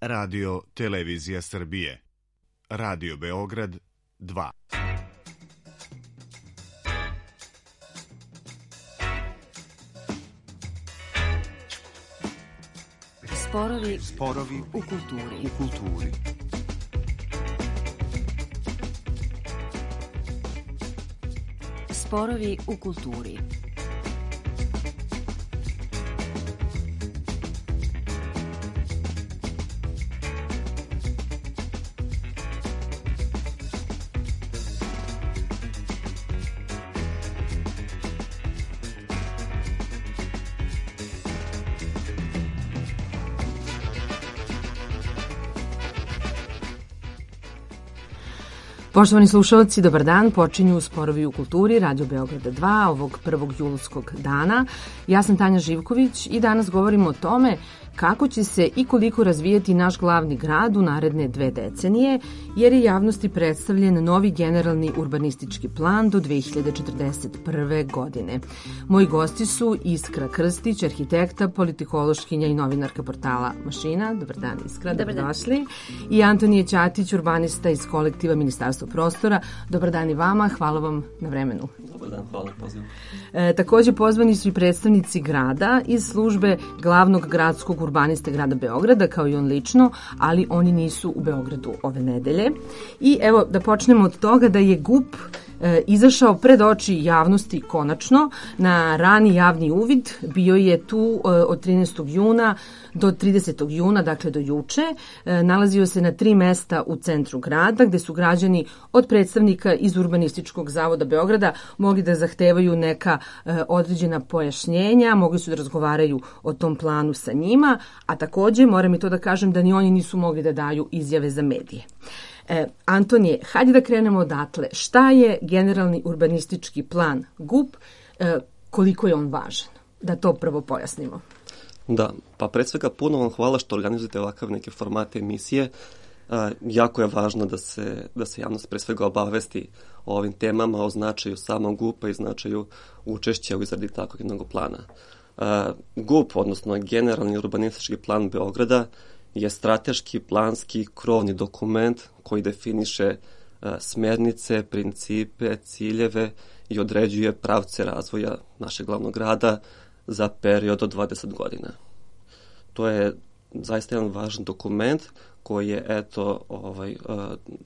Radio Televizija Srbije. Radio Beograd 2. Sporovi u kulturi. Sporovi u kulturi. Poštovani slušalci, dobar dan. Počinju Sporovi u kulturi, Radio Beograda 2, ovog 1. julskog dana. Ja sam Tanja Živković i danas govorimo o tome kako će se i koliko razvijati naš glavni grad u naredne 2 decenije, jer je javnosti predstavljen novi generalni urbanistički plan do 2041. godine. Moji gosti su Iskra Krstić, arhitekta, politikološkinja i novinarka portala Mašina. Dobar dan, Iskra, dobrodošli. I Antonije Ćatić, urbanista iz kolektiva Ministarstva prostora. Dobar dan i vama, hvala vam na vremenu. Dobar dan, hvala na pozivu. Takođe pozvani su i predstavnici grada iz službe glavnog gradskog urbaniste grada Beograda, kao i on lično, ali oni nisu u Beogradu ove nedelje. I evo da počnemo od toga da je GUP izašao pred oči javnosti konačno na rani javni uvid. Bio je tu od 13. juna do 30. juna, dakle do juče. Nalazio se na 3 mesta u centru grada, gde su građani od predstavnika iz Urbanističkog zavoda Beograda mogli da zahtevaju neka određena pojašnjenja, mogli su da razgovaraju o tom planu sa njima, a takođe moram i to da kažem da ni oni nisu mogli da daju izjave za medije. Antonije, hajde da krenemo odatle. Šta je generalni urbanistički plan GUP, koliko je on važan? Da to prvo pojasnimo. Da, pa pre svega puno vam hvala što organizujete ovakav neke formate emisije. Jako je važno da se javnost pre svega obavesti o ovim temama, o značaju samog GUP-a i značaju učešća u izradi takvog jednog plana. GUP, odnosno generalni urbanistički plan Beograda, je strateški, planski, krovni dokument koji definiše smernice, principe, ciljeve i određuje pravce razvoja našeg glavnog grada za period od 20 godina. To je zaista jedan važan dokument koji je,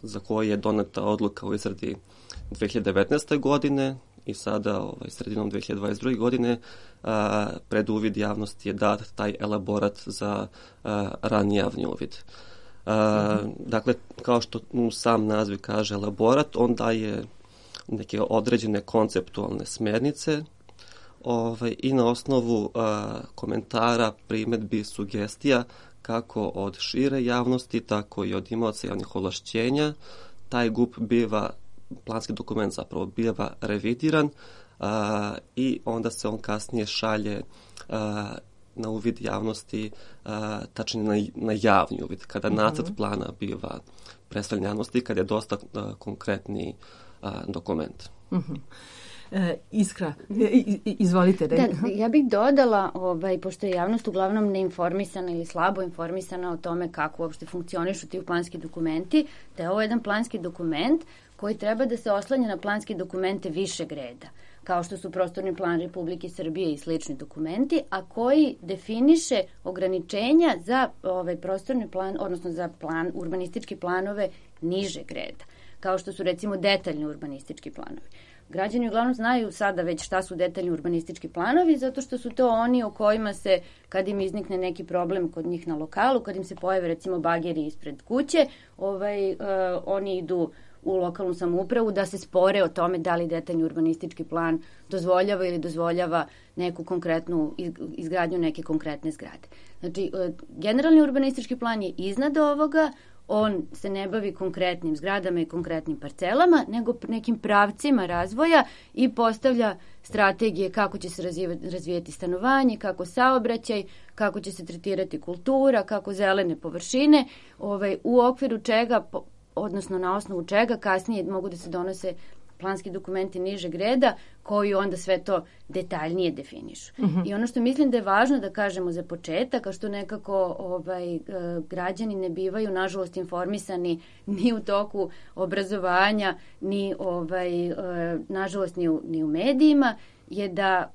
za koji je doneta odluka u izradi 2019. godine i sada sredinom 2022. godine pred uvid javnosti je dat taj elaborat za rani javni uvid. Dakle, kao što sam naziv kaže elaborat, on daje neke određene konceptualne smernice i na osnovu komentara, primedbi, sugestija kako od šire javnosti, tako i od imaoca javnih ovlašćenja, taj GUP planski dokument zapravo biva revidiran i onda se on kasnije šalje na uvid javnosti, tačnije na javni uvid, kada nacrt plana biva predstavljen javnosti, kada je dosta konkretni dokument. Iskra, izvolite. Da, ja bih dodala, pošto je javnost uglavnom neinformisana ili slabo informisana o tome kako uopšte funkcionišu ti planski dokumenti, da je ovo jedan planski dokument koji treba da se oslanja na planske dokumente višeg reda, kao što su prostorni plan Republike Srbije i slični dokumenti, a koji definiše ograničenja za prostorni plan, odnosno za urbanističke planove nižeg reda, kao što su recimo detaljni urbanistički planovi. Građani uglavnom znaju sada već šta su detaljni urbanistički planovi, zato što su to oni o kojima se, kad im iznikne neki problem kod njih na lokalu, kad im se pojave recimo bageri ispred kuće, oni idu u lokalnu samoupravu da se spore o tome da li detaljni urbanistički plan dozvoljava ili dozvoljava neku konkretnu izgradnju neke konkretne zgrade. Znači, generalni urbanistički plan je iznad ovoga, on se ne bavi konkretnim zgradama i konkretnim parcelama, nego nekim pravcima razvoja i postavlja strategije kako će se razvijati stanovanje, kako saobraćaj, kako će se tretirati kultura, kako zelene površine, u okviru čega, odnosno na osnovu čega kasnije mogu da se donose planski dokumenti nižeg reda koji onda sve to detaljnije definišu. I ono što mislim da je važno da kažemo za početak, a što nekako građani ne bivaju nažalost informisani ni u toku obrazovanja, ni nažalost ni u medijima, je da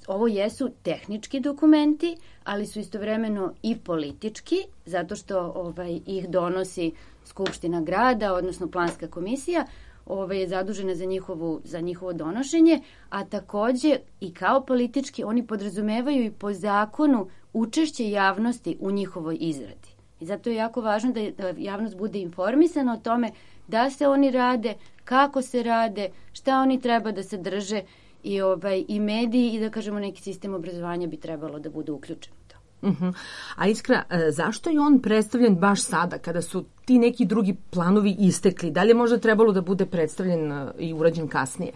ovo jesu tehnički dokumenti, ali su istovremeno i politički, zato što ih donosi Skupština grada, odnosno planska komisija, je zadužena za njihovo donošenje, a takođe i kao politički oni podrazumevaju i po zakonu učešće javnosti u njihovoj izradi. I zato je jako važno da javnost bude informisana o tome da se oni rade, kako se rade, šta oni treba da sadrže i mediji i da kažemo neki sistem obrazovanja bi trebalo da bude uključen u to. A Iskra, zašto je on predstavljen baš sada kada su ti neki drugi planovi istekli? Da li je možda trebalo da bude predstavljen i urađen kasnije?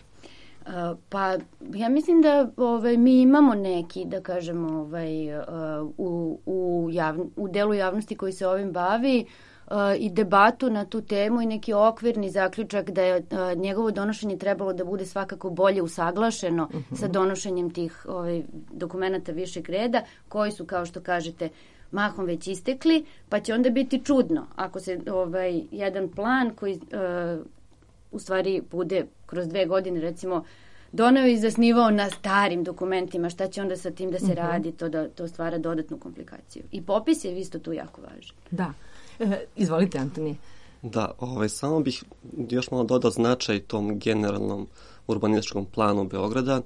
Pa ja mislim da mi imamo neki, da kažemo, u delu javnosti koji se ovim bavi i debatu na tu temu i neki okvirni zaključak da je njegovo donošenje trebalo da bude svakako bolje usaglašeno sa donošenjem tih dokumenta višeg reda, koji su, kao što kažete, mahom već istekli, pa će onda biti čudno ako se jedan plan koji u stvari bude kroz 2 godine, recimo, doneo i zasnivao na starim dokumentima, šta će onda sa tim da se radi, to stvara dodatnu komplikaciju. I popis je isto tu jako važan. Da. Izvolite, Antonije. Da, samo bih još malo dodao značaj tom generalnom urbanističkom planu Beograda.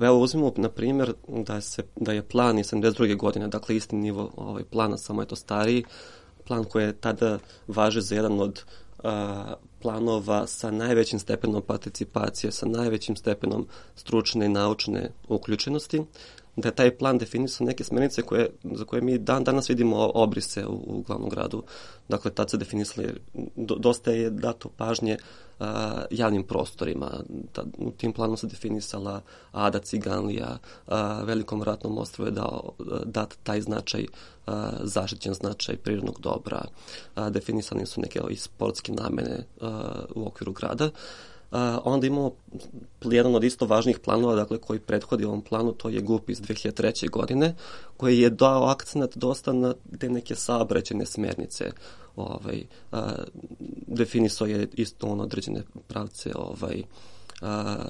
Evo uzmimo, na primjer, da je plan iz 72. godine, dakle isti nivo plana, samo je to stariji, plan koji je tada važi za jedan od planova sa najvećim stepenom participacije, sa najvećim stepenom stručne i naučne uključenosti, da je taj plan definisao neke smernice za koje mi danas vidimo obrise u glavnom gradu. Dakle, tad se definisali, dosta je dato pažnje javnim prostorima. U tim planom se definisala Ada Ciganlija, Velikom ratnom ostrvu je dat taj značaj, zaštićen značaj prirodnog dobra. Definisani su neke i sportske namene u okviru grada. Onda imamo jedan od isto važnih planova, dakle, koji prethodi ovom planu, to je GUP iz 2003. godine, koji je dao akcenat dosta na te neke saobraćajne smernice. Definisao je isto određene pravce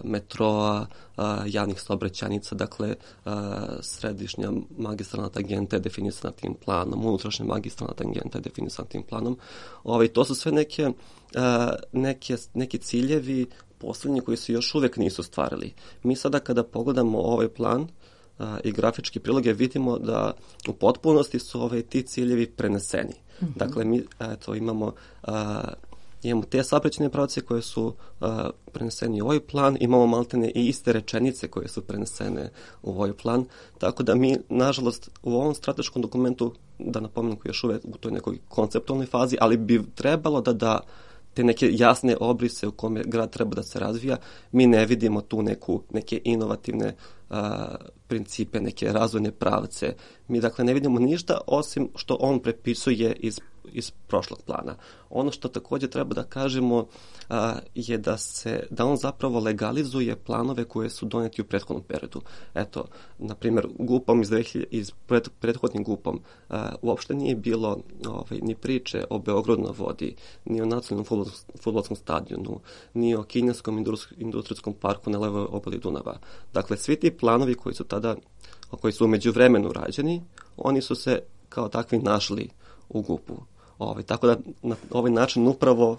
metroa, javnih saobraćajnica, dakle središnja magistralna tangenta je definisana tim planom, unutrašnja magistralna tangenta je definisana tim planom. To su sve neki ciljevi poslednji koji se još uvek nisu stvarili. Mi sada kada pogledamo ovaj plan i grafički priloge vidimo da u potpunosti su ti ciljevi preneseni. Dakle, mi imamo te saobraćajne pravce koje su preneseni u ovaj plan, imamo maltene i iste rečenice koje su prenesene u ovaj plan, tako da mi, nažalost, u ovom strateškom dokumentu, da napomenem koji je još uvek u toj nekoj konceptualnoj fazi, ali bi trebalo da te neke jasne obrise u kome grad treba da se razvija, mi ne vidimo tu neke inovativne principe, neke razvojne pravce. Mi, dakle, ne vidimo ništa osim što on prepisuje iz prošlog plana. Ono što takođe treba da kažemo je da on zapravo legalizuje planove koje su doneti u prethodnom periodu. Eto, na primjer, GUP-om prethodnim GUP-om uopšte nije bilo ni priče o Beogradu na vodi, ni o nacionalnom fudbalskom stadionu, ni o kineskom industrijskom parku na levoj obali Dunava. Dakle, svi ti planovi koji su u međuvremenu rađeni, oni su se kao takvi našli u GUP-u. Tako da na ovaj način upravo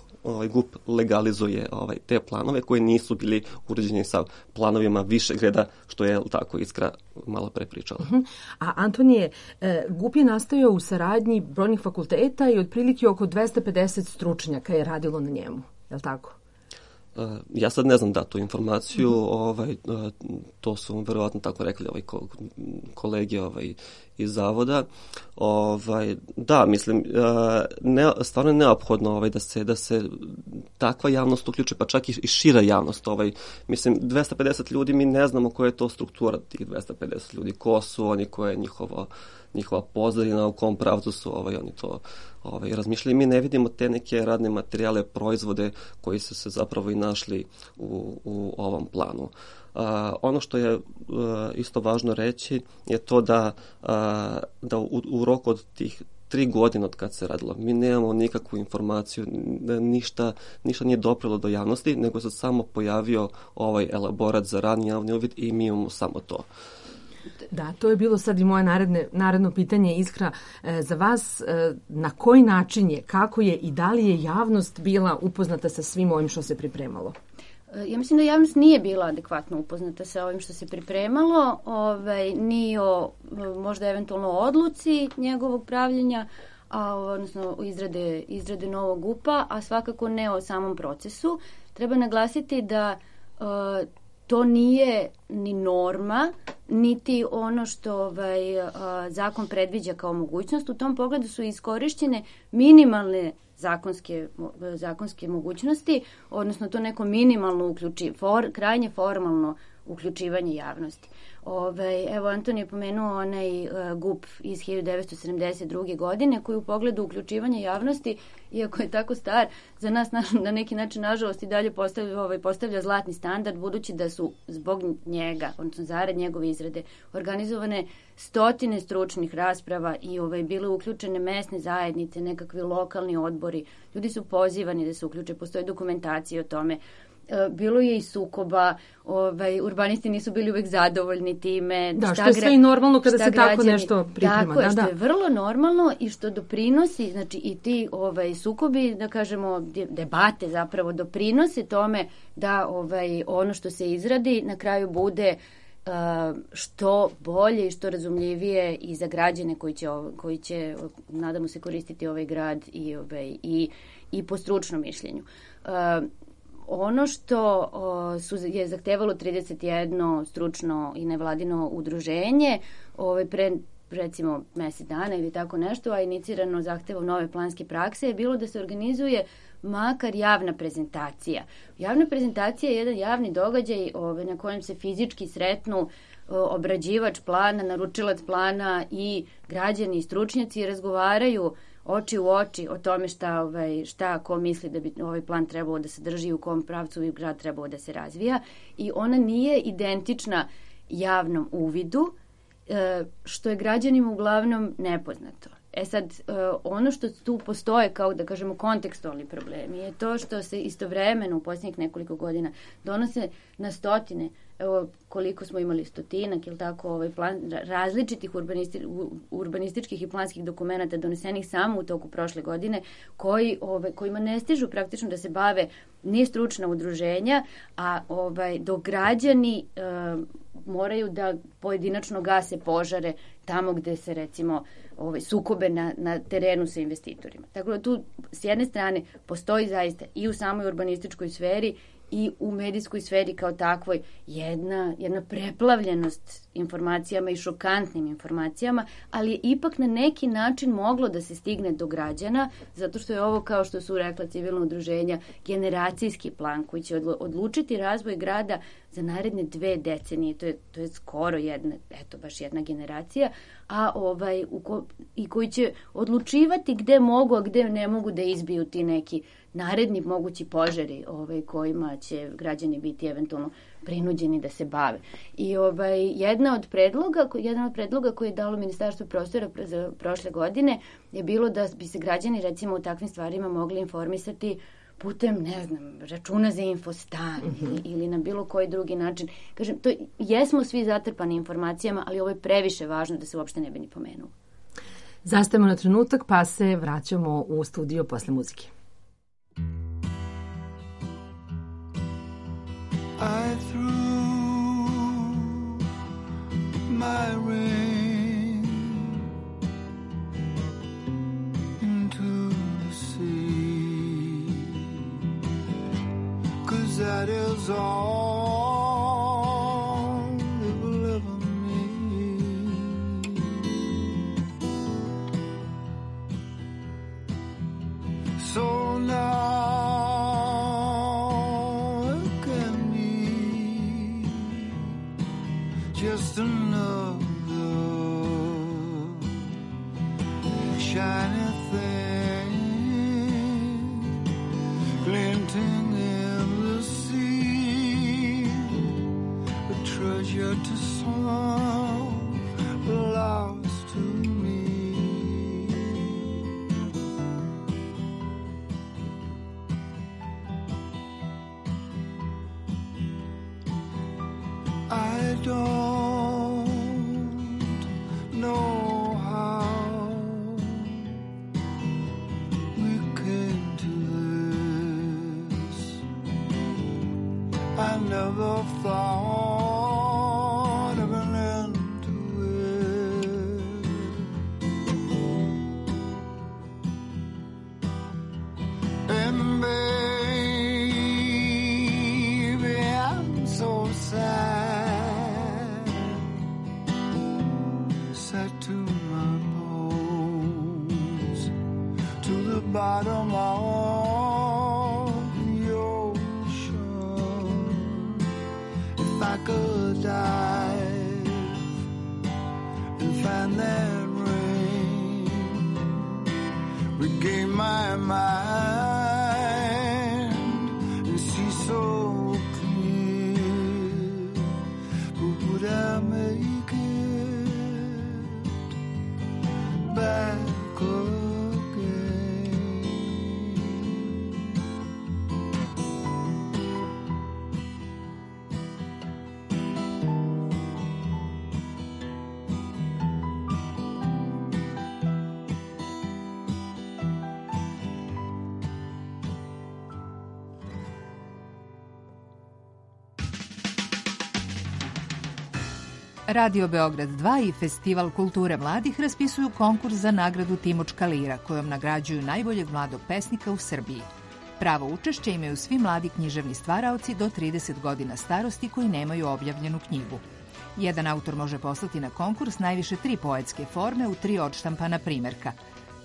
GUP legalizuje te planove koji nisu bili uređeni sa planovima višeg reda, što je tako Iskra malo pre pričala. A Antonije, GUP je nastajao u saradnji brojnih fakulteta i otprilike oko 250 stručnjaka je radilo na njemu, je li tako? Ja sad ne znam tu informaciju, to su verovatno tako rekli kolege iz zavoda. Da, mislim, stvarno je neophodno da se takva javnost uključi, pa čak i šira javnost. Mislim, 250 ljudi, mi ne znamo koja je to struktura tih 250 ljudi, ko su oni, koja je njihova pozadina, u kom pravcu su oni to razmišljali. Mi ne vidimo te neke radne materijale, proizvode koji su se zapravo i našli u ovom planu. Ono što je isto važno reći je to da u roku od tih 3 godine od kad se radilo, mi nemamo nikakvu informaciju, ništa nije doprelo do javnosti, nego se samo pojavio ovaj elaborat za rani javni uvid i mi imamo samo to. Da, to je bilo sad i moje naredno pitanje, Iskra, za vas. Na koji način je, kako je i da li je javnost bila upoznata sa svim ovim što se pripremalo? Ja mislim da javnost nije bila adekvatno upoznata sa ovim što se pripremalo, ni o možda eventualno odluci njegovog pravljenja, odnosno izrade novog GUP-a, a svakako ne o samom procesu. Treba naglasiti da to nije ni norma, niti ono što zakon predviđa kao mogućnost. U tom pogledu su iskorišćene minimalne zakonske mogućnosti, odnosno to neko minimalno krajnje formalno uključivanje javnosti. Evo, Anton je pomenuo onaj GUP iz 1972. godine koji u pogledu uključivanja javnosti, iako je tako star, za nas na neki način, nažalost, i dalje postavlja zlatni standard, budući da su zbog njega, odnosno zarad njegove izrade, organizovane stotine stručnih rasprava i bile uključene mesne zajednice, nekakvi lokalni odbori. Ljudi su pozivani da se uključe, postoje dokumentacije o tome. Bilo je i sukoba, urbanisti nisu bili uvek zadovoljni time. Da, što je sve i normalno kada se tako nešto priprema. Tako je, što je vrlo normalno i što doprinosi, znači i ti sukobi, da kažemo, debate zapravo doprinose tome da ono što se izradi na kraju bude što bolje i što razumljivije i za građane koji će nadamo se, koristiti ovaj grad i po stručnom mišljenju. Ono što je zahtevalo 31 stručno i nevladino udruženje pre recimo mesec dana ili tako nešto, a inicirano zahtevom nove planske prakse, je bilo da se organizuje makar javna prezentacija. Javna prezentacija je jedan javni događaj na kojem se fizički sretnu obrađivač plana, naručilac plana i građani i stručnjaci i razgovaraju oči u oči o tome šta ko misli da bi ovaj plan trebao da se drži, u kom pravcu bi grad trebao da se razvija, i ona nije identična javnom uvidu, što je građanima uglavnom nepoznato. Sad, ono što tu postoje kao, da kažemo, kontekstualni problemi je to što se istovremeno u posljednjih nekoliko godina donose na stotine, evo koliko smo imali, stotinak ili tako, plan različitih urbanističkih i planskih dokumenata donesenih samo u toku prošle godine, kojima ne stižu praktično da se bave ni stručna udruženja, a dok građani moraju da pojedinačno gase požare tamo gde se, recimo, sukobe na terenu sa investitorima. Tako da tu s jedne strane postoji zaista i u samoj urbanističkoj sferi i u medijskoj sferi kao takvoj jedna preplavljenost informacijama i šokantnim informacijama, ali je ipak na neki način moglo da se stigne do građana, zato što je ovo, kao što su rekla civilna udruženja, generacijski plan koji će odlučiti razvoj grada za naredne 2 decenije. To je skoro baš jedna generacija, i koji će odlučivati gde mogu, a gde ne mogu da izbiju ti neki naredni mogući požari kojima će građani biti eventualno prinuđeni da se bave. I jedan od predloga koji je dalo Ministarstvo prostora za prošle godine je bilo da bi se građani, recimo, u takvim stvarima mogli informisati putem, ne znam, računa za infostan ili na bilo koji drugi način. Kažem, jesmo svi zatrpani informacijama, ali ovo je previše važno da se uopšte ne bi ni pomenuo. Zastajemo na trenutak, pa se vraćamo u studio posle muzike. I threw my ring into the sea, 'cause that is all it will ever mean. So now don't know how we came to this. I never thought of an end to it. And baby, I'm so sad, sad to my bones, to the bottom of the ocean. If I could dive and find that ring, regain my mind and see so clear, but would I make it back again? Radio Beograd 2 i Festival kulture mladih raspisuju konkurs za nagradu Timočka lira, kojom nagrađuju najboljeg mladog pesnika u Srbiji. Pravo učešće imaju svi mladi književni stvaraoci do 30 godina starosti koji nemaju objavljenu knjigu. Jedan autor može poslati na konkurs najviše 3 poetske forme u 3 odštampana primerka.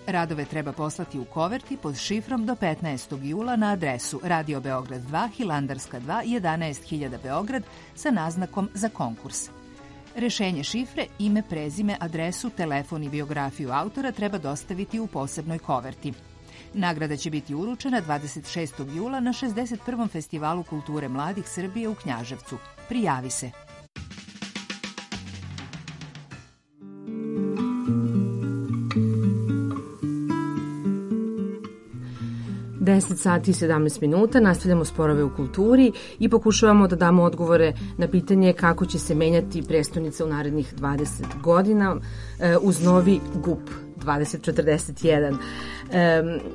Radove treba poslati u koverti pod šifrom do 15. jula na adresu Radio Beograd 2, Hilandarska 2, 11.000 Beograd sa naznakom za konkurs. Rešenje šifre, ime, prezime, adresu, telefon i biografiju autora treba dostaviti u posebnoj koverti. Nagrada će biti uručena 26. jula na 61. Festivalu kulture mladih Srbije u Knjaževcu. Prijavi se! Deset sati i 17 minuta, nastavljamo Sporove u kulturi i pokušavamo da damo odgovore na pitanje kako će se menjati prestonica u narednih 20 godina uz novi GUP 2041.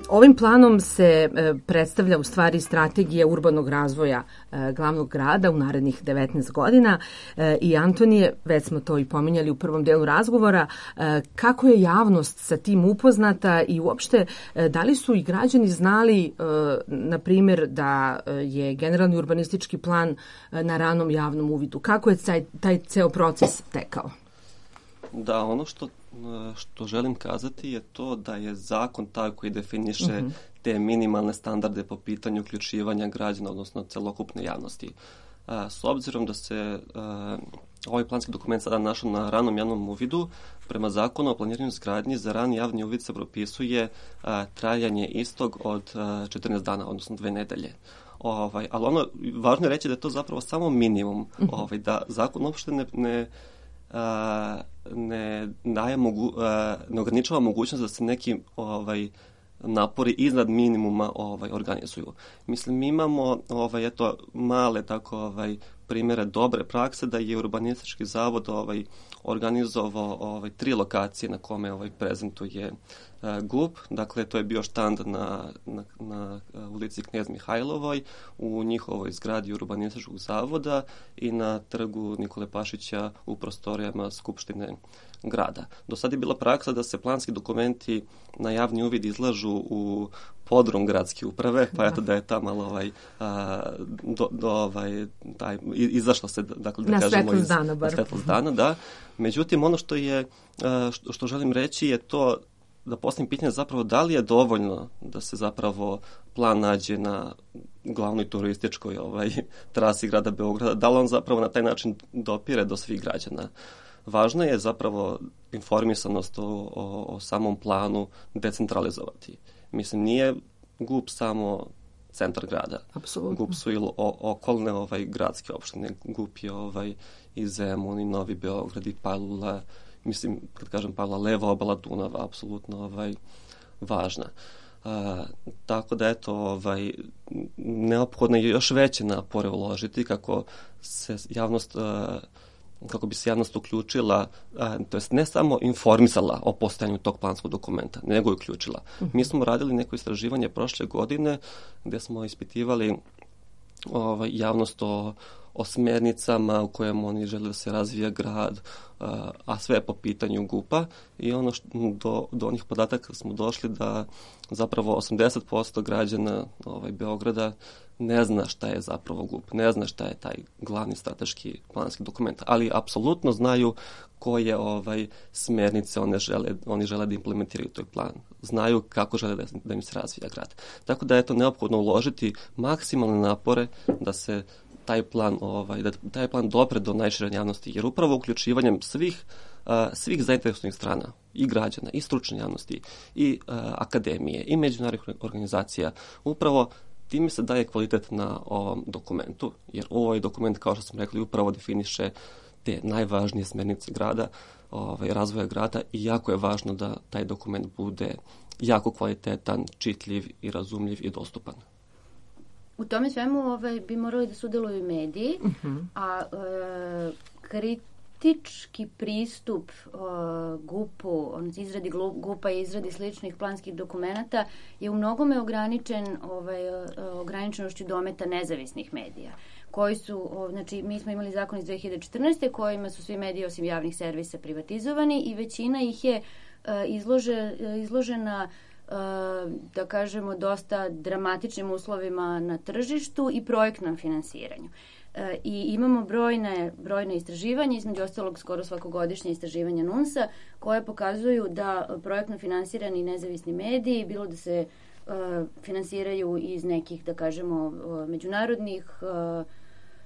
Ovim planom se predstavlja u stvari strategija urbanog razvoja glavnog grada u narednih 19 godina i Antonije, već smo to i pominjali u prvom delu razgovora, kako je javnost sa tim upoznata i uopšte da li su i građani znali, na primjer, da je generalni urbanistički plan na ranom javnom uvidu? Kako je taj ceo proces tekao? Da, ono što želim kazati je to da je zakon taj koji definiše te minimalne standarde po pitanju uključivanja građana, odnosno celokupne javnosti. S obzirom da se ovaj planski dokument sada našao na ranom javnom uvidu, prema zakonu o planiranju izgradnji za rani javni uvid se propisuje trajanje istog od 14 dana, odnosno 2 nedelje. Ali ono, važno je reći da je to zapravo samo minimum, da zakon uopšte ne ograničava mogućnost da se neki napori iznad minimuma organizuju. Mislim, mi imamo male primjere dobre prakse da je Urbanistički zavod organizovao 3 lokacije na kome prezentuje GUP. Dakle, to je bio štand na ulici Knez Mihajlovoj, u njihovoj zgradi Urbanističkog zavoda i na trgu Nikole Pašića u prostorijama Skupštine grada. Do sada je bila praksa da se planski dokumenti na javni uvid izlažu u podrum gradske uprave, pa eto da je ta malo izašlo se, dakle, da kažemo, iz svetlost dana, da. Međutim, ono što želim reći je to da postavim pitanje zapravo da li je dovoljno da se zapravo plan nađe na glavnoj turističkoj trasi grada Beograda, da li on zapravo na taj način dopire do svih građana. Važno je zapravo informisanost o samom planu decentralizovati. Mislim, nije GUP samo centar grada. Apsolutno. GUP su i okolne gradske opštine. GUP je i Zemun, i Novi Beograd, i Palula. Mislim, kad kažem Palula, leva obala Dunava, apsolutno važna. Tako da, eto, neophodno je još veće napore uložiti kako se javnost kako bi se javnost uključila, to jest ne samo informisala o postojanju tog planskog dokumenta, nego i uključila. Mi smo radili neko istraživanje prošle godine gde smo ispitivali javnost o smernicama u kojem oni žele da se razvija grad, a sve po pitanju GUP-a, i do onih podataka smo došli da zapravo 80% građana Beograda ne zna šta je zapravo GUP, ne zna šta je taj glavni strateški planski dokument, ali apsolutno znaju koje smernice oni žele da implementiraju toj plan. Znaju kako žele da im se razvija grad. Tako da je to neophodno uložiti maksimalne napore da se taj plan dopre do najšire javnosti, jer upravo uključivanjem svih zainteresovanih strana, i građana, i stručne javnosti, i akademije, i međunarodnih organizacija, upravo time se daje kvalitet na ovom dokumentu, jer ovaj dokument, kao što smo rekli, upravo definiše te najvažnije smernice grada, razvoja grada, i jako je važno da taj dokument bude jako kvalitetan, čitljiv i razumljiv i dostupan. U tome svemu bi morali da sudeluju mediji, a kritički pristup GUP-u, izradi GUP-a i izradi sličnih planskih dokumenata je u mnogome ograničenošću dometa nezavisnih medija, koji su, znači mi smo imali zakon iz 2014. kojima su svi mediji osim javnih servisa privatizovani i većina ih je izložena da kažemo dosta dramatičnim uslovima na tržištu i projektnom finansiranju. I imamo brojne istraživanja, između ostalog skoro svakogodišnje istraživanja NUNS-a, koje pokazuju da projektno finansirani nezavisni mediji, bilo da se finansiraju iz nekih, da kažemo, međunarodnih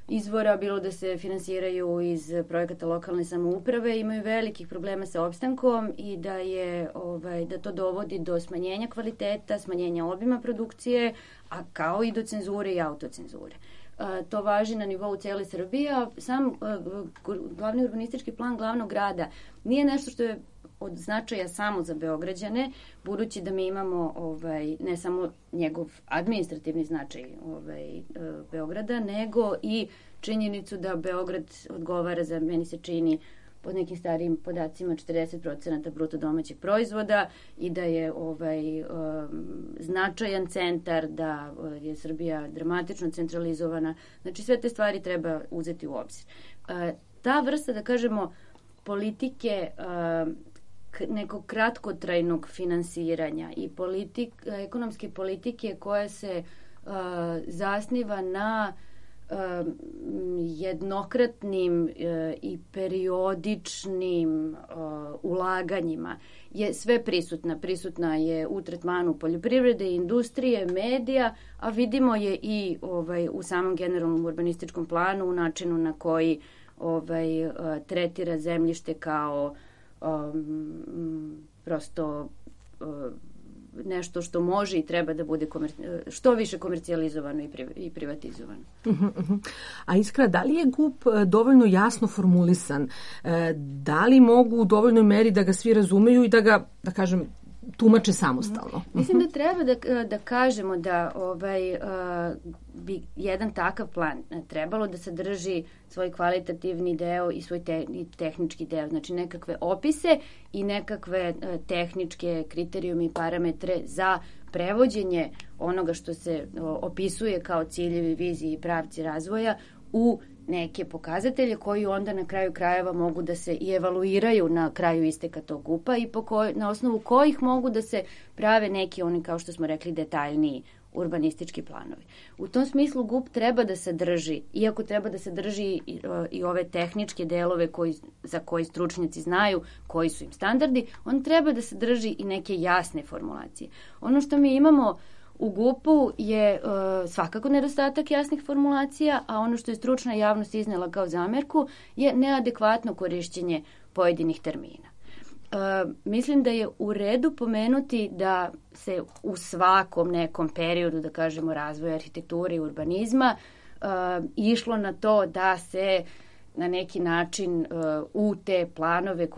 izvora, bilo da se finansiraju iz projekata lokalne samouprave, imaju velikih problema sa opstankom i da to dovodi do smanjenja kvaliteta, smanjenja obima produkcije, a kao i do cenzure i autocenzure. To važi na nivou cijele Srbije, a sam glavni urbanistički plan glavnog grada nije nešto što je od značaja samo za Beograđane, budući da mi imamo ne samo njegov administrativni značaj Beograda, nego i činjenicu da Beograd odgovara za, meni se čini, pod nekim starijim podacima 40% bruto domaćeg proizvoda i da je značajan centar, da je Srbija dramatično centralizovana. Znači sve te stvari treba uzeti u obzir. Ta vrsta, da kažemo, politike nekog kratkotrajnog finansiranja i ekonomske politike koja se zasniva na jednokratnim i periodičnim ulaganjima je sve prisutna. Prisutna je u tretmanu poljoprivrede, industrije, medija, a vidimo je i u samom generalnom urbanističkom planu, u načinu na koji tretira zemljište kao prosto nešto što može i treba da bude što više komercijalizovano i privatizovano. A Iskra, da li je GUP dovoljno jasno formulisan? Da li mogu u dovoljnoj meri da ga svi razumeju i da ga, da kažem, tumače samostalno? Mislim da treba da kažemo da bi jedan takav plan trebalo da sadrži svoj kvalitativni deo i svoj tehnički deo, znači nekakve opise i nekakve tehničke kriterijume i parametre za prevođenje onoga što se opisuje kao ciljevi, viziji i pravci razvoja u neke pokazatelje koji onda na kraju krajeva mogu da se i evaluiraju na kraju isteka tog GUP-a i na osnovu kojih mogu da se prave neki, oni kao što smo rekli, detaljniji urbanistički planovi. U tom smislu GUP treba da sadrži, iako treba da sadrži i ove tehničke delove za koje stručnjaci znaju koji su im standardi, on treba da sadrži i neke jasne formulacije. Ono što mi imamo u GUP-u je svakako nedostatak jasnih formulacija, a ono što je stručna javnost iznela kao zamerku je neadekvatno korišćenje pojedinih termina. Mislim da je u redu pomenuti da se u svakom nekom periodu, da kažemo, razvoja arhitekture i urbanizma išlo na to da se na neki način u te planove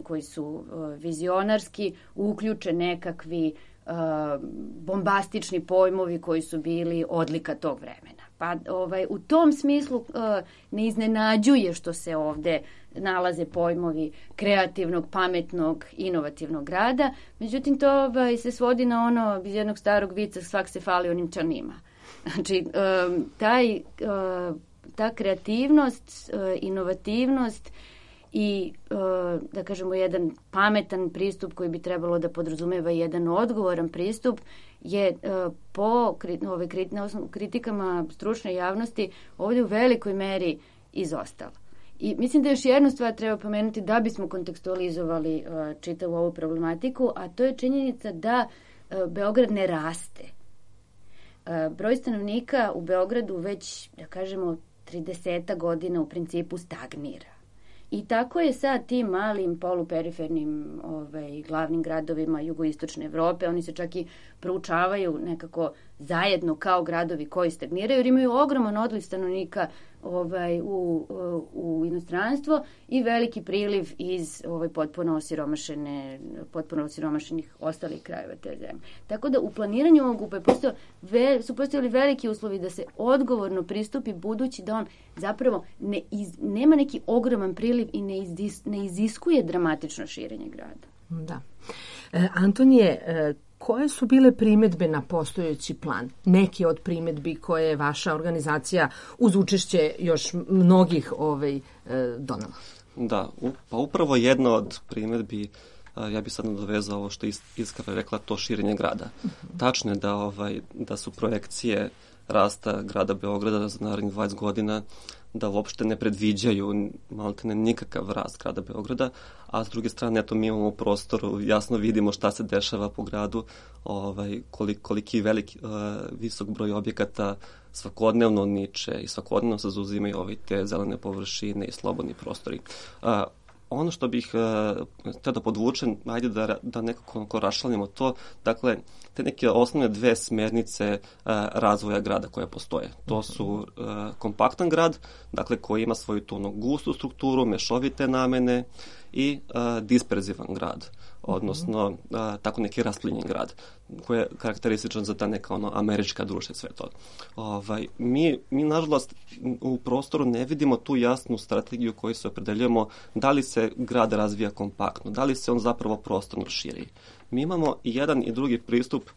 koji su vizionarski uključe nekakvi bombastični pojmovi koji su bili odlika tog vremena. Pa u tom smislu ne iznenađuje što se ovde nalaze pojmovi kreativnog, pametnog, inovativnog grada. Međutim, to se svodi na ono iz jednog starog vica, svak se fali onim čanima. Znači, ta kreativnost, inovativnost i, da kažemo, jedan pametan pristup koji bi trebalo da podrazumeva jedan odgovoran pristup je po kritikama stručne javnosti ovdje u velikoj meri izostala. I mislim da još jednu stvar treba pomenuti da bismo kontekstualizovali čitavu ovu problematiku, a to je činjenica da Beograd ne raste. Broj stanovnika u Beogradu već, da kažemo, 30 godina u principu stagnira. I tako je sad tim malim poluperifernim glavnim gradovima jugoistočne Evrope, oni se čak i proučavaju nekako zajedno kao gradovi koji stagniraju, jer imaju ogroman odliv stanovnika u inostranstvo i veliki priliv iz potpuno osiromašenih ostalih krajeva te zemlje. Tako da u planiranju ovog UPA su postojali veliki uslovi da se odgovorno pristupi, budući da on zapravo nema neki ogroman priliv i ne iziskuje dramatično širenje grada. Da. Antonije, koje su bile primedbe na postojeći plan? Neke od primedbi koje je vaša organizacija uz učešće još mnogih donala? Da, pa upravo jedna od primedbi, ja bih sad nadovezao ovo što je Iskra rekla, to širenje grada. Tačno je da su projekcije rasta grada Beograda za narednih 20 godina da uopšte ne predviđaju maltene nikakav rast grada Beograda, a s druge strane mi imamo u prostoru, jasno vidimo šta se dešava po gradu, koliki visok broj objekata svakodnevno niče i svakodnevno se zauzimaju te zelene površine i slobodni prostori. Ono što bih htio da podvučem, ajde da nekako raščlanimo to, dakle, te neke osnovne dve smernice razvoja grada koje postoje. To su kompaktan grad, dakle, koji ima svoju tu gustu strukturu, mešovite namene i disperzivan grad, odnosno tako neki rasplinjen grad, koji je karakterističan za ta neka američka društva i sve to. Mi nažalost u prostoru ne vidimo tu jasnu strategiju koju se opredeljujemo da li se grad razvija kompaktno, da li se on zapravo prostorno širi. Mi imamo i jedan i drugi pristup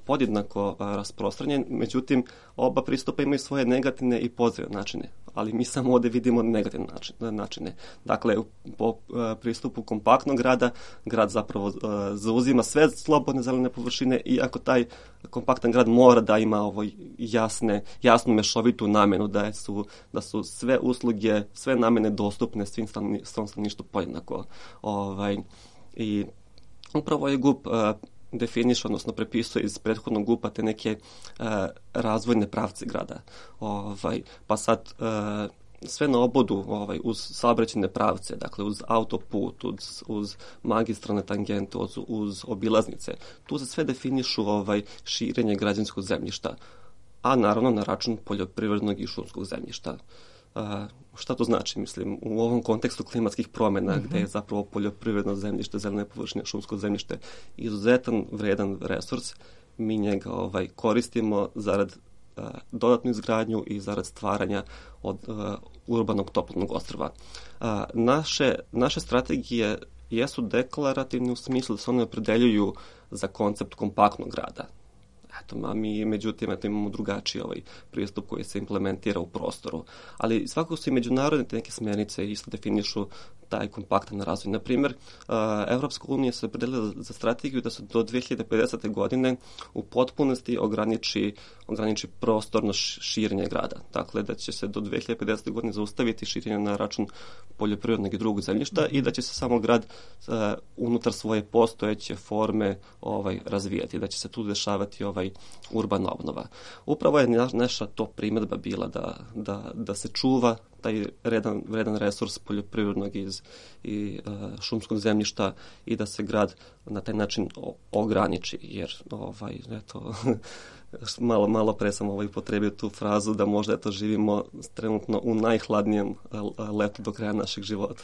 podjednako rasprostranjen, međutim oba pristupa imaju svoje negativne i pozitivne načine, ali mi samo ovdje vidimo negativne načine. Dakle, po pristupu kompaktnog grada, grad zapravo zauzima sve slobodne zelene površine, iako taj kompaktan grad mora da ima jasnu mešovitu namenu, da su sve usluge, sve namene dostupne svom stanovništvu podjednako. I upravo je GUP definiše, odnosno prepisuje iz prethodnog GUP-a te neke razvojne pravce grada. Pa sad sve na obodu uz saobraćajne pravce, dakle uz autoput, uz magistralne tangente, uz obilaznice. Tu se sve definišu širenje građanskog zemljišta, a naravno na račun poljoprivrednog i šumskog zemljišta. Šta to znači? Mislim, u ovom kontekstu klimatskih promjena, gde je zapravo poljoprivredno zemljište, zelene površine, šumsko zemljište izuzetan vredan resurs, mi njega koristimo zarad dodatnu izgradnju i zarad stvaranja od urbanog toplotnog ostrva. Naše strategije jesu deklarativne u smislu da se one opredeljuju za koncept kompaktnog grada. Mi, međutim, imamo drugačiji pristup koji se implementira u prostoru. Ali svakako su i međunarodne neke smjernice isto definišu taj kompaktan razvoj. Na primjer, Evropska unija se opredelila za strategiju da se do 2050. godine u potpunosti ograniči prostorno širenje grada. Dakle, da će se do 2050. godine zaustaviti širenje na račun poljoprivrednog i drugog zemljišta i da će se samo grad unutar svoje postojeće forme razvijati, da će se tu dešavati urbana obnova. Upravo je naša to primjedba bila da se čuva taj vredan resurs poljoprivrednog i šumskog zemljišta i da se grad na taj način ograniči, jer malo pre sam upotrebio tu frazu da možda živimo trenutno u najhladnijem letu do kraja našeg života.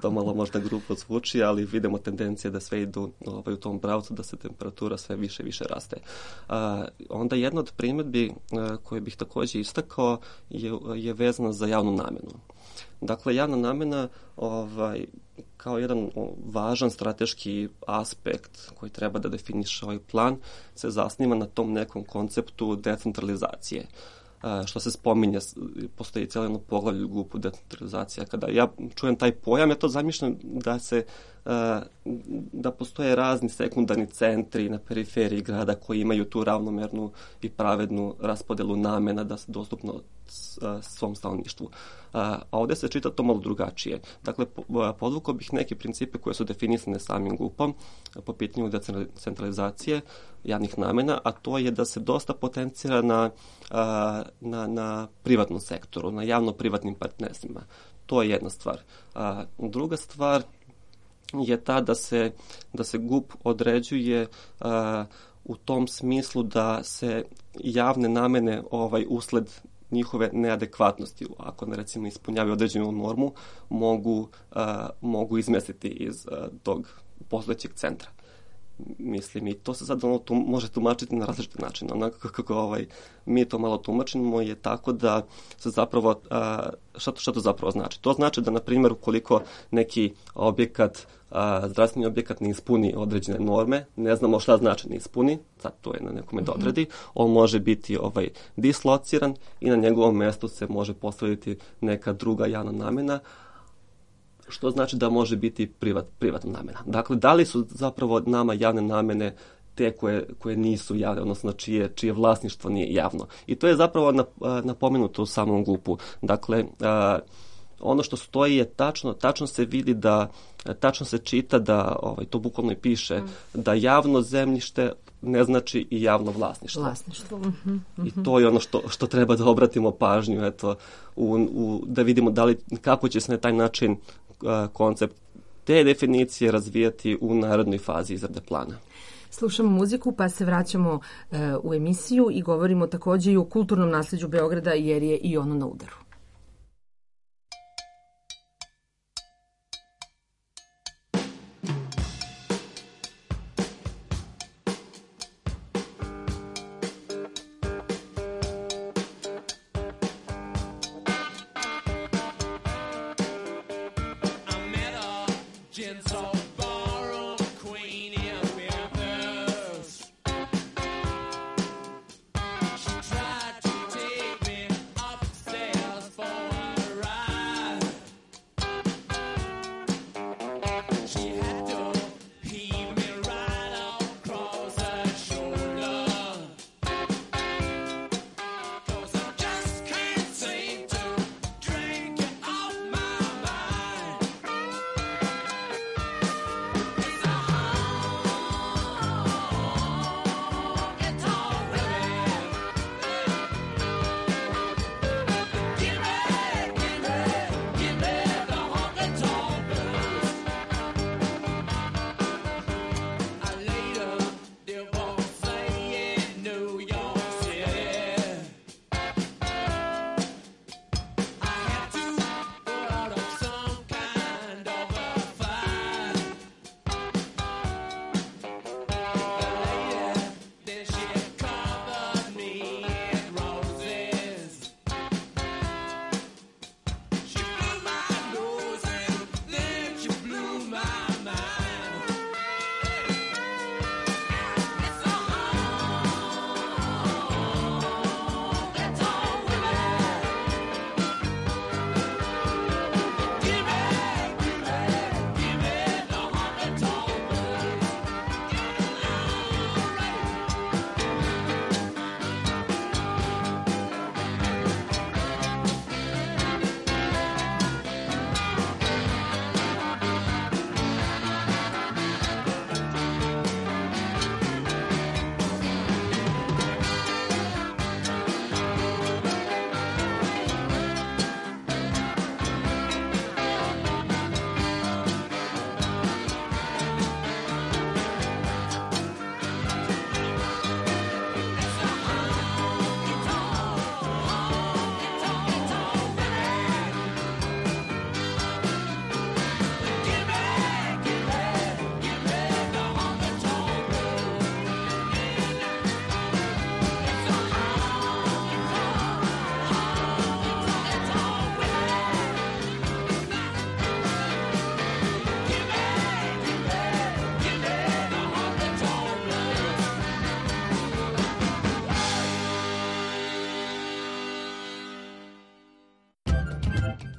To malo možda grubo zvuči, ali vidimo tendencije da sve idu u tom pravcu, da se temperatura sve više i više raste. Onda jedna od primjedbi koje bih takođe istakao je vezana za javnu namenu. Dakle, javna namena kao jedan važan strateški aspekt koji treba da definiše ovaj plan se zasniva na tom nekom konceptu decentralizacije. Što se spominje, postoji cijelo jedno poglavlje u GUP-u decentralizacija. Kada ja čujem taj pojam, ja to zamišljam da postoje razni sekundarni centri na periferiji grada koji imaju tu ravnomernu i pravednu raspodelu namena da se dostupno svom stanovništvu. A ovdje se čita to malo drugačije. Dakle, podvukao bih neke principe koje su definisane samim GUP-om po pitanju decentralizacije javnih namena, a to je da se dosta potencira na privatnom sektoru, na javno-privatnim partnerstvima. To je jedna stvar. Druga stvar je ta da se GUP određuje u tom smislu da se javne namene usled njihove neadekvatnosti, ako ne recimo ispunjavaju određenu normu, mogu izmestiti iz tog postojećeg centra. Mislim, i to se sad može tumačiti na različite načine. Onako kako mi to malo tumačimo je tako da se zapravo, šta to zapravo znači? To znači da, na primjer, ukoliko neki objekat, zdravstveni objekat ne ispuni određene norme, ne znamo šta znači ne ispuni, sad to je na nekome da odredi, on može biti dislociran i na njegovom mjestu se može postaviti neka druga javna namena, što znači da može biti privatna namena. Dakle, da li su zapravo nama javne namene te koje nisu javne, odnosno čije vlasništvo nije javno. I to je zapravo napomenuto u samom GUP-u. Dakle, ono što stoji je tačno se vidi tačno se čita da, to bukvalno i piše, da javno zemljište ne znači i javno vlasništvo. I to je ono što treba da obratimo pažnju, da vidimo kako će se na taj način koncept te definicije razvijati u narednoj fazi izrade plana. Slušamo muziku pa se vraćamo u emisiju i govorimo takođe i o kulturnom nasljeđu Beograda jer je i ono na udaru. Tried to take me upstairs.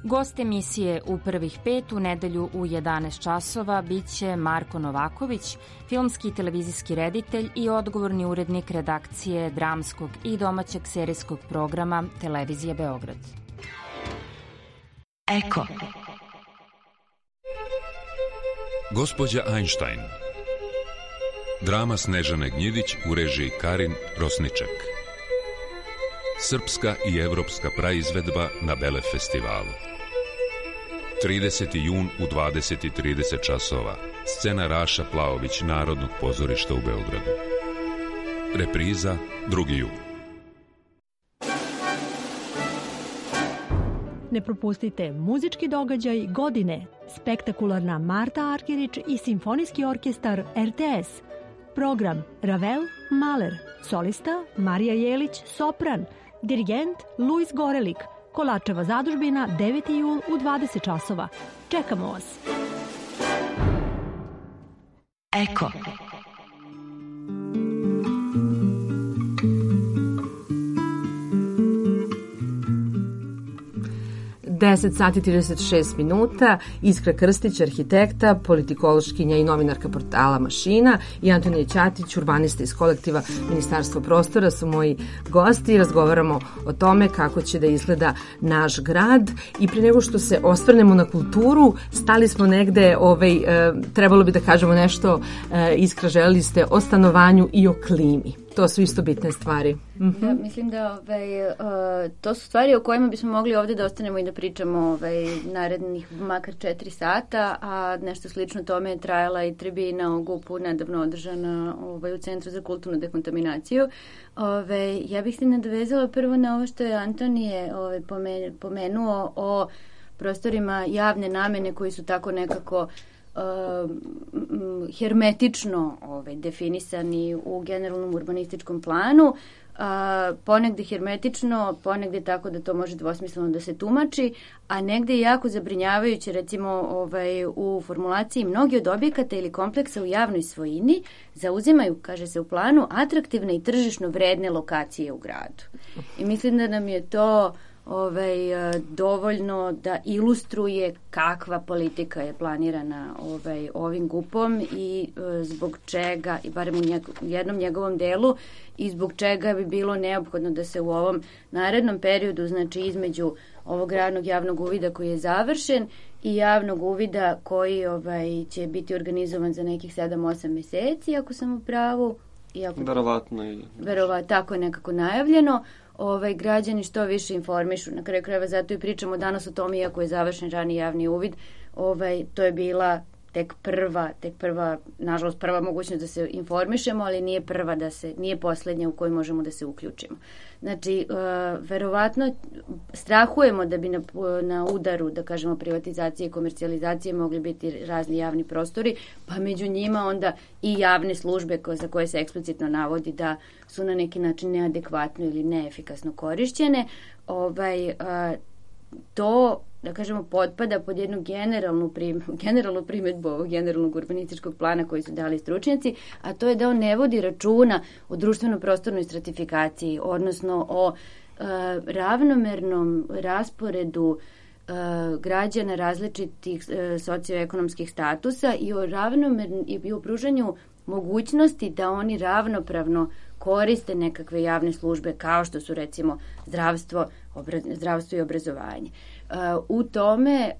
Gost emisije u prvih 5 u nedelju u 11 časova biće Marko Novaković, filmski i televizijski reditelj i odgovorni urednik redakcije dramskog i domaćeg serijskog programa Televizije Beograd. Eko. Gospođa Einstein. Drama Snežane Gnjidić u režiji Karin Rosniček. Srpska i evropska praizvedba na Bele festivalu. 30. jun u 20:30 časova. Scena Raša Plaović Narodnog pozorišta u Beogradu. Repriza 2. jun. Ne propustite muzički događaj godine, spektakularna Marta Arkerić i simfonijski orkestar RTS. Program Ravel, Mahler, solista Marija Jelić, sopran, dirigent Luis Gorelik, Kolačeva zadužbina 9. jul u 20 časova. Čekamo vas! Eko. 10 sati 36 minuta, Iskra Krstić, arhitekta, politikološkinja i novinarka portala Mašina i Antonija Ćatić, urbanista iz kolektiva Ministarstvo prostora su moji gosti i razgovaramo o tome kako će da izgleda naš grad. I pre nego što se osvrnemo na kulturu, stali smo negde, trebalo bi da kažemo nešto, Iskra, želeli ste o stanovanju i o klimi. To su isto bitne stvari. Ja mislim da to su stvari o kojima bismo mogli ovde da ostanemo i da pričamo narednih makar 4 sata, a nešto slično tome je trajala i tribina o GUP-u nedavno održana u Centru za kulturnu dekontaminaciju. Ja bih se nadovezala prvo na ovo što je Antonije pomenuo o prostorima javne namene koji su tako nekako hermetično definisani u generalnom urbanističkom planu, ponegde hermetično, ponegde tako da to može dvosmisleno da se tumači, a negde jako zabrinjavajuće, recimo u formulaciji mnogi od objekata ili kompleksa u javnoj svojini zauzimaju, kaže se u planu, atraktivne i tržišno vredne lokacije u gradu. I mislim da nam je to dovoljno da ilustruje kakva politika je planirana ovim GUP-om i zbog čega, i barem u jednom njegovom delu, i zbog čega bi bilo neophodno da se u ovom narednom periodu, znači između ovog radnog javnog uvida koji je završen i javnog uvida koji će biti organizovan za nekih 7-8 meseci, ako sam u pravu. Verovatno, tako je nekako najavljeno. Građani što više informišu. Na kraju krajeva zato i pričamo danas o tome, iako je završen rani javni uvid, to je bila tek prva, nažalost prva mogućnost da se informišemo, ali nije poslednja u kojoj možemo da se uključimo. Znači, verovatno strahujemo da bi na udaru, da kažemo, privatizacije i komercijalizacije mogli biti razni javni prostori, pa među njima onda i javne službe za koje se eksplicitno navodi da su na neki način neadekvatno ili neefikasno korišćene. To, da kažemo, potpada pod jednu generalnu primedbu ovog generalnog urbanističkog plana koji su dali stručnjaci, a to je da on ne vodi računa o društveno-prostornoj stratifikaciji, odnosno o ravnomernom rasporedu građana različitih socioekonomskih statusa i o pružanju mogućnosti da oni ravnopravno koriste nekakve javne službe kao što su recimo zdravstvo i obrazovanje. U tome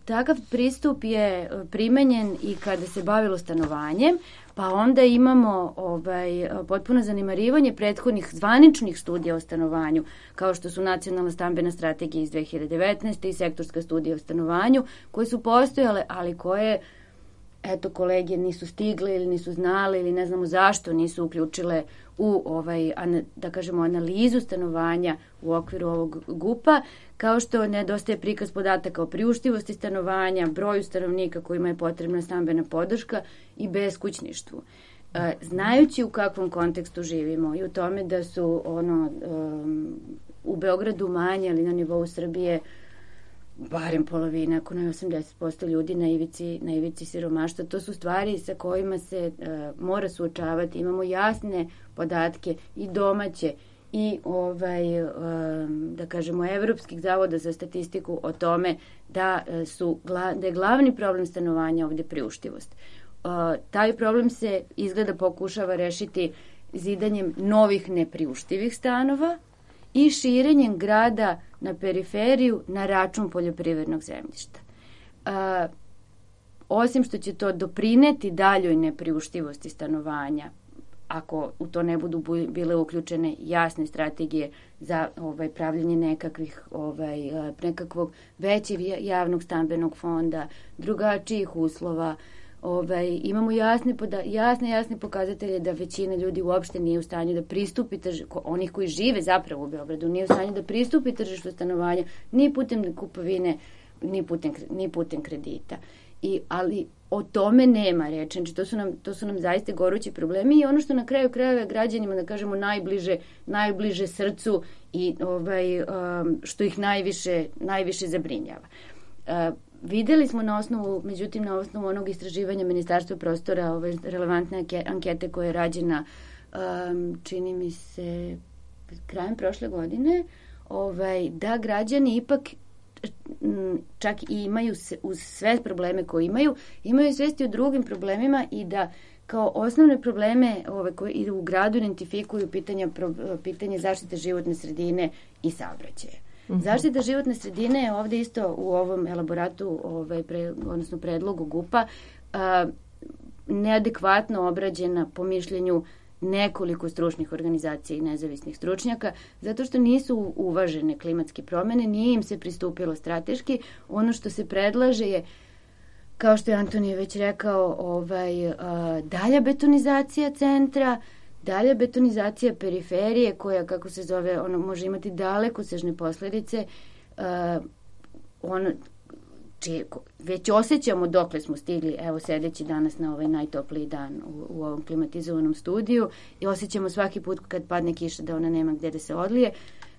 takav pristup je primenjen i kada se bavilo stanovanjem, pa onda imamo potpuno zanemarivanje prethodnih zvaničnih studija o stanovanju, kao što su Nacionalna stambena strategija iz 2019. i Sektorska studija o stanovanju, koje su postojale, ali koje kolege nisu stigle ili nisu znale ili ne znamo zašto nisu uključile u da kažemo analizu stanovanja u okviru ovog GUP-a, kao što nedostaje prikaz podataka o priuštivosti stanovanja, broju stanovnika kojima je potrebna stambena podrška i beskućništvu. Znajući u kakvom kontekstu živimo i u tome da su u Beogradu manje, ali na nivou Srbije barem polovina, ako ne 80% ljudi na ivici siromaštva. To su stvari sa kojima se mora suočavati. Imamo jasne podatke i domaće i da kažemo evropskih zavoda za statistiku o tome da je glavni problem stanovanja ovde priuštivost. Taj problem se izgleda pokušava rešiti zidanjem novih nepriuštivih stanova i širenjem grada na periferiju na račun poljoprivrednog zemljišta. Osim što će to doprineti daljoj nepriuštivosti stanovanja, ako u to ne budu bile uključene jasne strategije za pravljenje nekakvog većeg javnog stambenog fonda, drugačijih uslova, imamo jasne pokazatelje da većina ljudi uopšte nije u stanju da pristupi onih koji žive zapravo u Beogradu, nije u stanju da pristupi tržištu stanovanja ni putem kupovine, ni putem kredita. Ali o tome nema reči. Znači, to su nam zaista gorući problemi i ono što na kraju krajeva građanima, da kažemo, najbliže srcu i što ih najviše zabrinjava. Videli smo međutim na osnovu onog istraživanja Ministarstva prostora, relevantne ankete koja je rađena, čini mi se, krajem prošle godine, da građani ipak čak i imaju uz sve probleme koje imaju svesti o drugim problemima i da kao osnovne probleme koji u gradu identifikuju pitanje zaštite životne sredine i saobraćaja. Zaštita životne sredine je ovde isto u ovom elaboratu, odnosno predlogu GUP-a, neadekvatno obrađena po mišljenju nekoliko stručnih organizacija i nezavisnih stručnjaka, zato što nisu uvažene klimatske promene, nije im se pristupilo strateški. Ono što se predlaže je, kao što je Antonije već rekao, dalja betonizacija centra, dalja betonizacija periferije koja, kako se zove, može imati dalekosežne posledice, već osjećamo dokle smo stigli, evo sedeći danas na ovaj najtopliji dan u ovom klimatizovanom studiju i osjećamo svaki put kad padne kiša da ona nema gde da se odlije.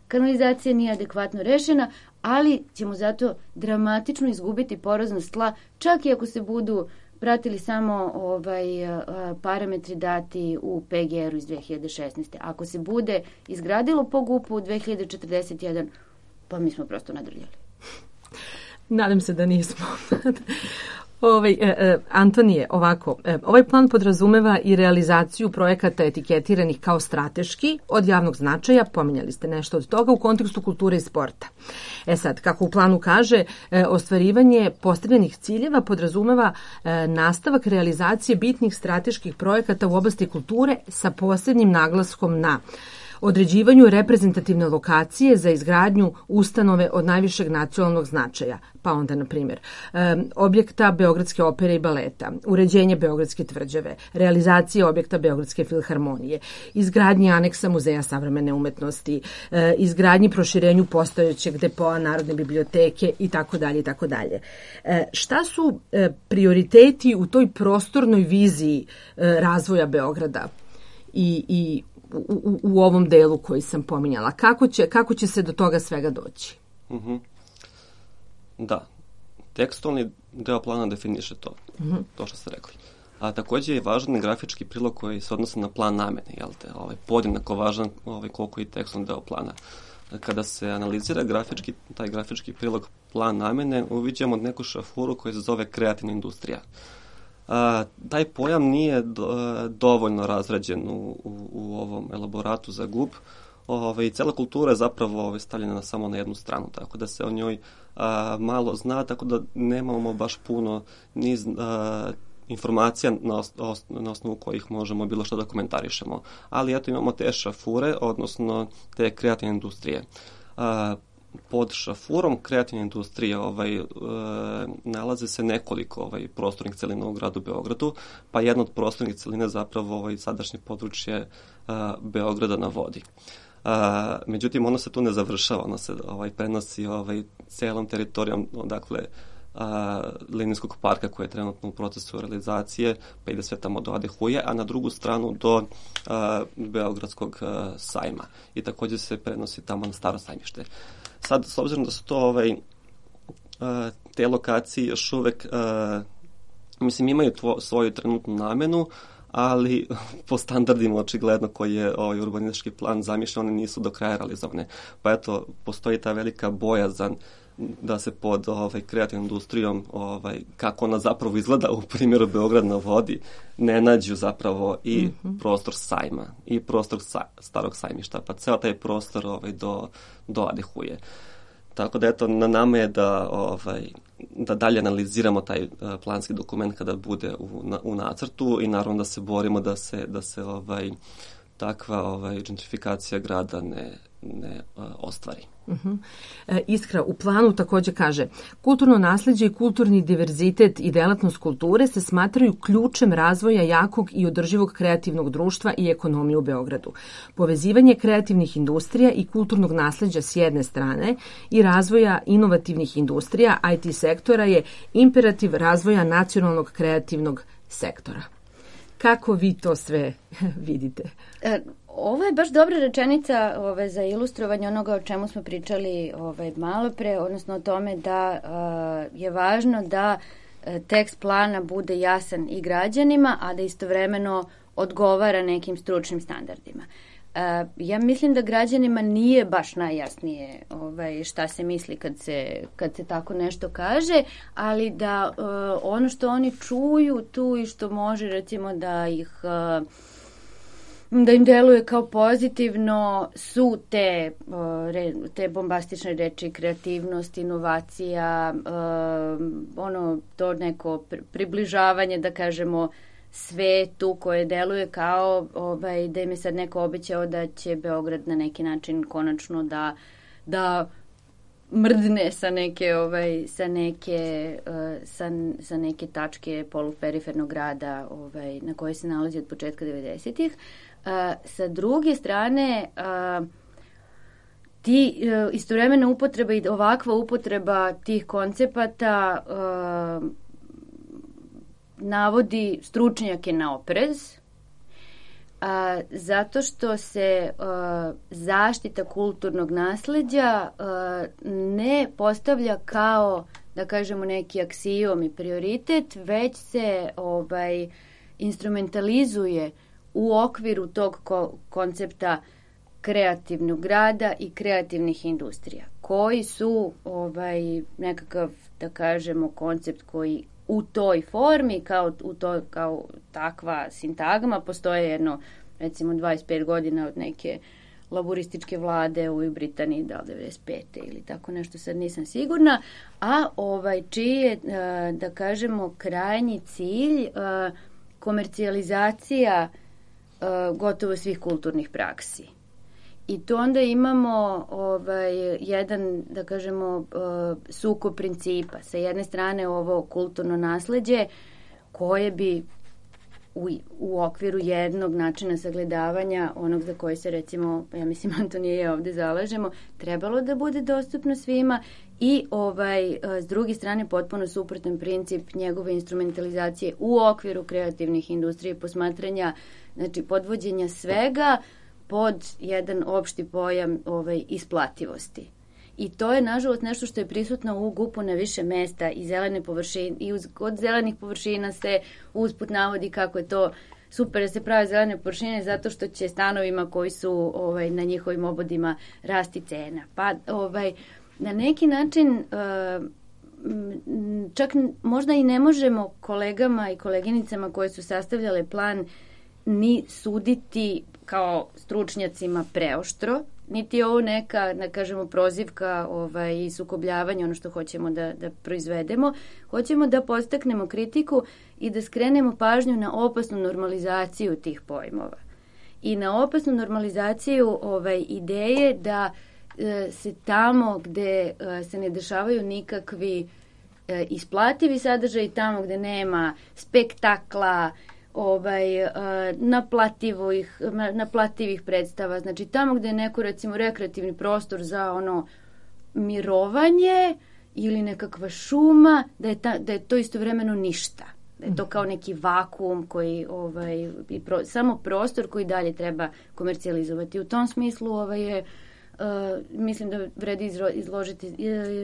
Kanalizacija nije adekvatno rešena, ali ćemo zato dramatično izgubiti poroznost tla, čak i ako se budu pratili samo parametri dati u PGR-u iz 2016. Ako se bude izgradilo po GUP-u u 2041, pa mi smo prosto nadrljali. Nadam se da nismo. Antonije, ovako, ovaj plan podrazumeva i realizaciju projekata etiketiranih kao strateški od javnog značaja, pominjali ste nešto od toga, u kontekstu kulture i sporta. Sad, kako u planu kaže, ostvarivanje postavljenih ciljeva podrazumeva nastavak realizacije bitnih strateških projekata u oblasti kulture sa posebnim naglaskom na određivanju reprezentativne lokacije za izgradnju ustanove od najvišeg nacionalnog značaja, pa onda, na primjer, objekta Beogradske opere i baleta, uređenje Beogradske tvrđave, realizacija objekta Beogradske filharmonije, izgradnji aneksa Muzeja savremene umetnosti, izgradnji proširenju postojećeg depoa Narodne biblioteke itd. itd. Šta su prioriteti u toj prostornoj viziji razvoja Beograda i u ovom delu koji sam pominjala? Kako će se do toga svega doći? Da, tekstualni deo plana definiše to, to što ste rekli. A takođe je važan grafički prilog koji se odnosi na plan namene, podjednako važan koliko i tekstualni deo plana. Kada se analizira taj grafički prilog plan namene, uviđamo neku šafuru koja se zove kreativna industrija. Taj pojam nije dovoljno razrađen u ovom elaboratu za GUP i cela kultura je zapravo stavljena samo na jednu stranu, tako da se o njoj malo zna, tako da nemamo baš puno niz informacija na osnovu kojih možemo bilo što da komentarišemo. Ali eto imamo te šafure, odnosno te kreativne industrije. Pod šafurom kreativne industrije nalaze se nekoliko prostornih celina u gradu Beogradu, pa jedna od prostornih celina zapravo sadašnje područje Beograda na vodi. Međutim, ono se tu ne završava, ono se prenosi celom teritorijom, dakle, linijskog parka koji je trenutno u procesu realizacije, pa ide sve tamo do Adehuje, a na drugu stranu do Beogradskog sajma. I takođe se prenosi tamo na Staro sajmište. Sad, s obzirom da su to te lokacije još uvek imaju svoju trenutnu namenu, ali po standardima očigledno koji je urbanistički plan zamišljen, one nisu do kraja realizovane. Pa eto, postoji ta velika bojazan da se pod kreativnom industrijom, kako ona zapravo izgleda u primjeru Beograd na vodi, ne nađu zapravo i prostor sajma i prostor starog sajmišta, pa ceo taj prostor doadehuje. Tako da eto, na nama je da dalje analiziramo taj planski dokument kada bude u nacrtu i naravno da se borimo da se takva gentrifikacija grada ne ostvari. Iskra u planu takođe kaže: kulturno nasleđe i kulturni diverzitet i delatnost kulture se smatraju ključem razvoja jakog i održivog kreativnog društva i ekonomije u Beogradu. Povezivanje kreativnih industrija i kulturnog nasleđa s jedne strane i razvoja inovativnih industrija IT sektora je imperativ razvoja nacionalnog kreativnog sektora. Kako vi to sve vidite? Ovo je baš dobra rečenica za ilustrovanje onoga o čemu smo pričali malo pre, odnosno o tome da je važno da tekst plana bude jasan i građanima, a da istovremeno odgovara nekim stručnim standardima. Ja mislim da građanima nije baš najjasnije šta se misli kad se tako nešto kaže, ali da ono što oni čuju tu i što može recimo da im deluje kao pozitivno su te bombastične reči, kreativnost, inovacija, to neko približavanje, da kažemo, svetu koje deluje kao da im je sad neko obećao da će Beograd na neki način konačno da mrdne sa neke tačke poluperifernog grada na koje se nalazi od početka 90-ih. Sa druge strane, istovremena upotreba i ovakva upotreba tih koncepata navodi stručnjake na oprez, zato što se zaštita kulturnog nasleđa ne postavlja kao, da kažemo, neki aksijom i prioritet, već se instrumentalizuje u okviru tog koncepta kreativnog grada i kreativnih industrija, koji su nekakav, da kažemo, koncept koji u toj formi, kao takva sintagma, postoje jedno, recimo, 25 godina od neke laborističke vlade u Britaniji, da li 95. ili tako nešto, sad nisam sigurna, a čiji je, da kažemo, krajnji cilj komercijalizacija gotovo svih kulturnih praksi. I tu onda imamo jedan, da kažemo, sukob principa. Sa jedne strane ovo kulturno nasleđe koje bi u okviru jednog načina sagledavanja, onog za koji se, recimo, ja mislim, Antonije i ja ovde zalažemo, trebalo da bude dostupno svima i s druge strane potpuno suprotan princip njegove instrumentalizacije u okviru kreativnih industrija i posmatranja, znači podvođenja svega pod jedan opšti pojam isplativosti. I to je, nažalost, nešto što je prisutno u GUP-u na više mesta i zelene površine, i od zelenih površina se usput navodi kako je to super da se prave zelene površine zato što će stanovima koji su na njihovim obodima rasti cena. Pa na neki način čak možda i ne možemo kolegama i koleginicama koje su sastavljale plan ni suditi kao stručnjacima preoštro, niti je ovo neka, da kažemo, prozivka i sukobljavanje, ono što hoćemo da proizvedemo. Hoćemo da podstaknemo kritiku i da skrenemo pažnju na opasnu normalizaciju tih pojmova. I na opasnu normalizaciju ideje da se tamo gde se ne dešavaju nikakvi isplativi sadržaj, tamo gde nema spektakla, naplativih predstava, znači tamo gde je neko, recimo, rekreativni prostor za mirovanje ili nekakva šuma, da je to istovremeno ništa. Da je to kao neki vakuum koji, samo prostor koji dalje treba komercijalizovati. U tom smislu mislim da vredi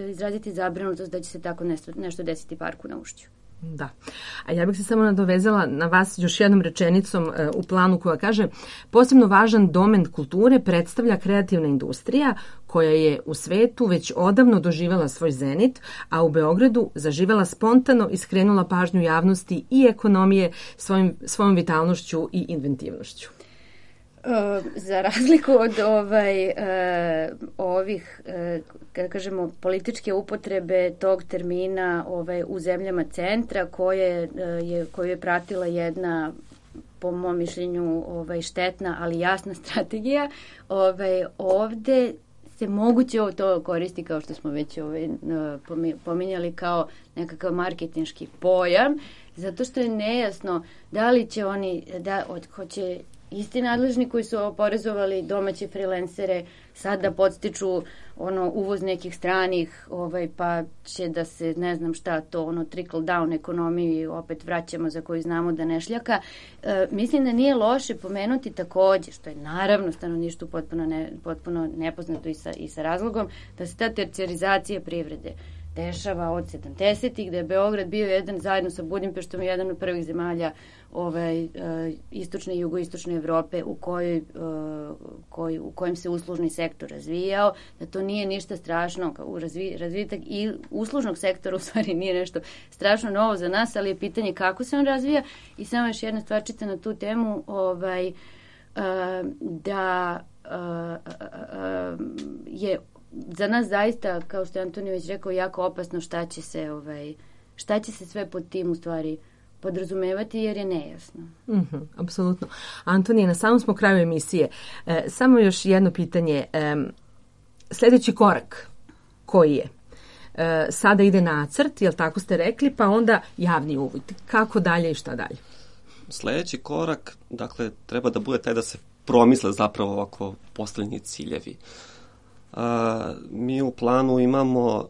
izraziti zabrinutost da će se tako nešto desiti parku na Ušću. Da. A ja bih se samo nadovezala na vas još jednom rečenicom u planu koja kaže posebno važan domen kulture predstavlja kreativna industrija koja je u svetu već odavno doživjela svoj zenit, a u Beogradu zaživela spontano i skrenula pažnju javnosti i ekonomije svojom vitalnošću i inventivnošću. Za razliku od ovih, kada kažemo, političke upotrebe tog termina u zemljama centra koju je pratila jedna, po mom mišljenju, štetna, ali jasna strategija, ovde se moguće to koristi, kao što smo već pominjali, kao nekakav marketinški pojam, zato što je nejasno da li će oni, hoće isti nadležni koji su oporezovali domaće freelancere sad da podstiču uvoz nekih stranih, pa će da se ne znam šta to, trickle down ekonomiju opet vraćamo, za koju znamo da ne šljaka. Mislim da nije loše pomenuti takođe, što je naravno stanovništvu potpuno nepoznato i sa razlogom, da se ta tercijarizacija privrede dešava od 70-ih, da je Beograd bio jedan, zajedno sa Budimpeštom, jedan od prvih zemalja istočne i jugoistočne Evrope u kojem se uslužni sektor razvijao, da to nije ništa strašno, razvitak i uslužnog sektora u stvari nije nešto strašno novo za nas, ali je pitanje kako se on razvija. I samo još jedna stvarčica na tu temu, da je za nas zaista, kao što je Antonije već rekao, jako opasno šta će se sve pod tim u stvari podrazumevati, jer je nejasno. Apsolutno. Antonije, na samom smo kraju emisije. Samo još jedno pitanje. Sljedeći korak koji je? Sada ide nacrt, jel tako ste rekli, pa onda javni uvid. Kako dalje i šta dalje? Sljedeći korak, dakle, treba da bude taj da se promisle zapravo ovako postavljeni ciljevi. Mi u planu imamo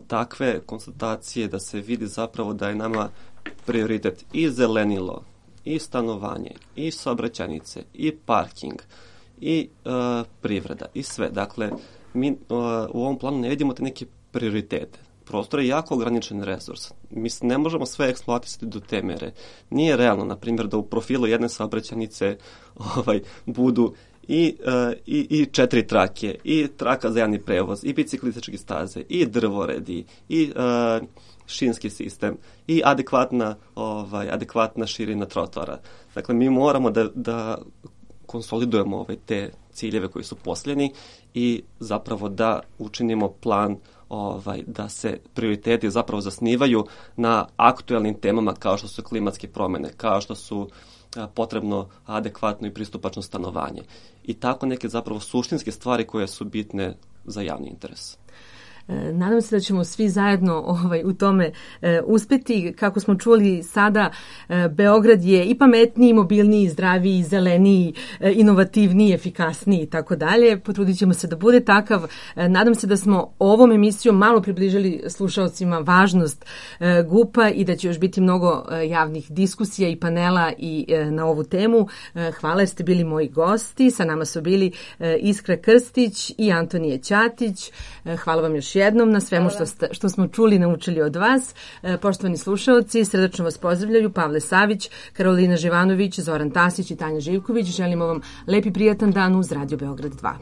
takve konstatacije da se vidi zapravo da je nama prioritet i zelenilo, i stanovanje, i saobraćajnice, i parking, i privreda, i sve. Dakle, mi u ovom planu ne vidimo te neke prioritete. Prostor je jako ograničen resurs. Mi ne možemo sve eksploatisati do te mere. Nije realno, na primjer, da u profilu jedne saobraćajnice budu i 4 trake, i traka za javni prevoz, i biciklističke staze, i drvoredi, i šinski sistem, i adekvatna širina trotoara. Dakle, mi moramo da konsolidujemo te ciljeve koji su posljednji i zapravo da učinimo plan da se prioriteti zapravo zasnivaju na aktuelnim temama kao što su klimatske promjene, kao što su potrebno adekvatno i pristupačno stanovanje. I tako neke zapravo suštinske stvari koje su bitne za javni interes. Nadam se da ćemo svi zajedno u tome uspeti. Kako smo čuli sada, Beograd je i pametniji, mobilniji, zdraviji, zeleniji, inovativniji, efikasniji i tako dalje. Potrudit ćemo se da bude takav. Nadam se da smo ovom emisijom malo približili slušaocima važnost GUP-a i da će još biti mnogo javnih diskusija i panela i na ovu temu. Hvala jer ste bili moji gosti. Sa nama su bili Iskra Krstić i Antonije Ćatić. Hvala vam još jednom na svemu što smo čuli i naučili od vas. Poštovani slušaoci, srdačno vas pozdravljaju Pavle Savić, Karolina Živanović, Zoran Tasić i Tanja Živković. Želimo vam lep i prijatan dan uz Radio Beograd 2.